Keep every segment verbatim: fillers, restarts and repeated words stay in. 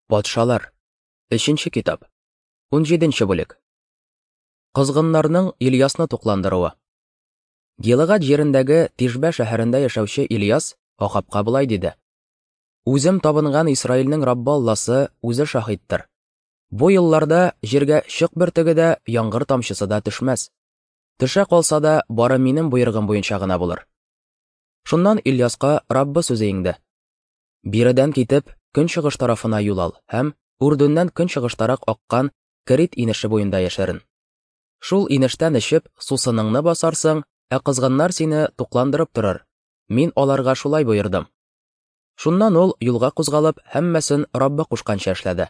Патшалар. Өченче китап. Унҗиденче бүлек. Козгыннарның Ильясны тукландыруы. Гилыгад җирендәге Тишбә шәһәрендә яшәүче Ильяс Ахабка болай диде: Үзем табынган Исраилнең Раббы Алласы үзе шаһиттыр. Бу елларда җиргә чык бөртеге дә, яңгыр тамчысы да төшмәс. Төшә калса да, бары минем боергым буенча гына булыр. Шуннан Ильяска Раббы сүзе иңде. Биредән китеп, көнчыгыш тарафына юл ал һәм Үрдүннән көнчыгыштарак аккан Керит инеше буенда яшерен. Шул инештән эчеп, сусыныңны басарсың, ә кызгыннар сине тукландырып торыр. Мин аларга шулай боердым. Шуннан ул юлга кузгалып, һәммәсен Раббы кушканча эшләде.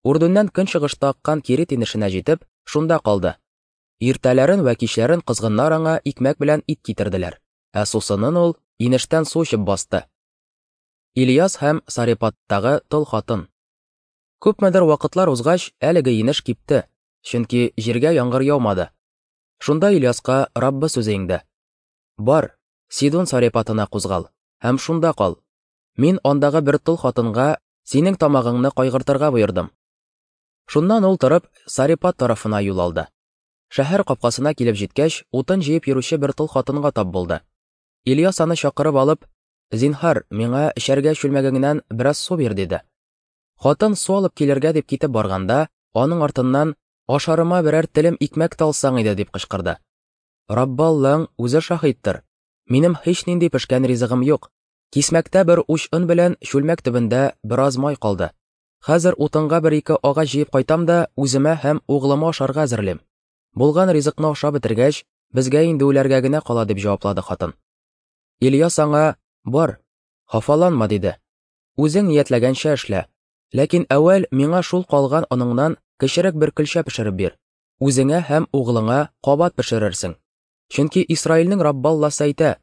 Үрдүннән көнчыгышта аккан Керит инешенә җитеп, шунда калды. Иртәләрен вә кичләрен кызгыннар аңа икмәк белән ит китерделәр, ә сусынын ул инештән су эчеп басты. Ильяс һәм Сарепаттагы тол хатын. Күпмедер вакытлар узгач, әлеге инеш кипте, чөнки җиргә яңгыр яумады. Шунда Ильяска Раббы сүзе иңде. Бар, Сидон Сарепатына кузгал һәм шунда кал. Мин андагы бер тол хатынга синең тамагыңны кайгыртырга боердым. Шуннан ул торып Сарепат тарафына юл алды. Шәһәр капкасына килеп җиткәч, утын җыеп йөрүче бер тол хатынга тап булды. Ильяс аны чакырып алып, Зинһар, миңа эчәргә чүлмәгеңнән бераз су бир, диде. Хатын су алып килергә дип китеп барганда, аның артыннан ашарыма берәр телем икмәк тә алсаң иде, дип кычкырды. Раббы Аллаң үзе шаһиттыр. Минем һичнинди пешкән ризыгым юк. Кисмәктә бер уч он белән чүлмәк төбендә бераз май калды. Хәзер утынга бер-ике агач җыеп кайтам да үземә һәм углыма ашарга әзерлим. Булган ризыкны ашап бетергәч, безгә инде үләргә генә кала, дип җаваплады хатын. Ильяс аңа: Бар, хафаланма, диде. Үзең ниятләгәнчә эшлә. Ләкин әүвәл миңа шул калган оныңнан кечерәк бер көлчә пешереп бир. Үзеңә һәм углыңа кабат пешерерсең. Чөнки Исраилнең Раббы Алласы әйтә: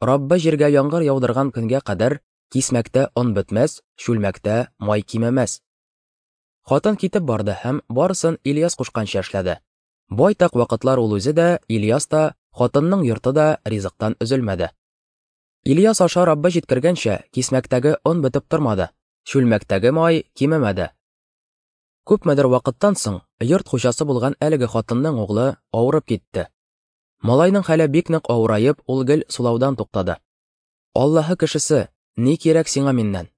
Раббы җиргә яңгыр яудырган көнгә кадәр кисмәктә он бетмәс, чүлмәктә май кимемәс. Хатын китеп барды һәм барысын Ильяс кушканча эшләде. Байтак вакытлар ул үзе дә, Ильяс та, хатынның йорты да ризыктан өзелмәде. Ильяс аша Раббы җиткергәнчә, кисмәктәге он бетеп тормады, чүлмәктәге май кимемәде. Күпмедер вакыттан соң йорт хуҗасы булган әлеге хатынның углы авырып китте. Малайның хәле бик нык авыраеп, ул гел сулаудан туктады. Аллаһы кешесе, ни кирәк сиңа миннән?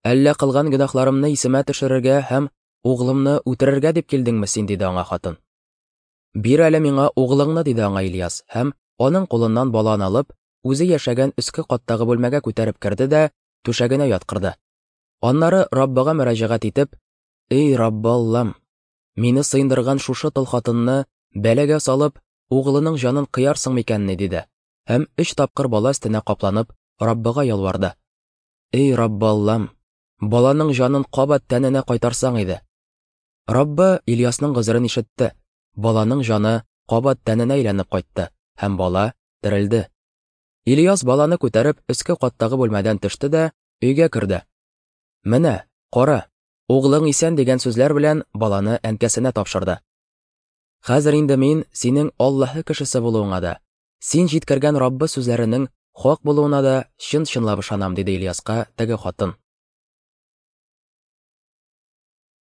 Әллә кылган гөнаһларымны исемә төшерергә һәм углымны үтерергә дип килдеңме син, диде аңа хатын. Бир әле миңа углыңны, диде аңа Ильяс, һәм аның кулыннан баланы алып, үзе яшәгән өске каттагы бүлмәгә күтәреп керде дә түшәгенә яткырды. Аннары Раббыга мөрәҗәгать итеп: Эй, Раббы Аллам, мине сыендырган шушы тол хатынны бәлагә салып, углының җанын кыярсың микәнни, диде. Һәм өч тапкыр бала өстенә капланып, Раббыга ялварды. Эй, Раббы Аллам, баланың җанын кабат тәненә кайтарсаң иде. Раббы Ильясның гозерен ишетте. Баланың җаны кабат тәненә әйләнеп кайтты, һәм бала терелде. Ильяс баланы күтәреп өске каттагы бүлмәдән төште дә өйгә керде. Менә, кара, углың исән дигән сүзләр белән баланы әнкәсенә тапшырды. Хәзер инде мин синең Аллаһы кешесе булуыңа да, син җиткергән Раббы сүзләренең хак булуына да чын-чынлап ышанам, диде Ильяска теге хатын.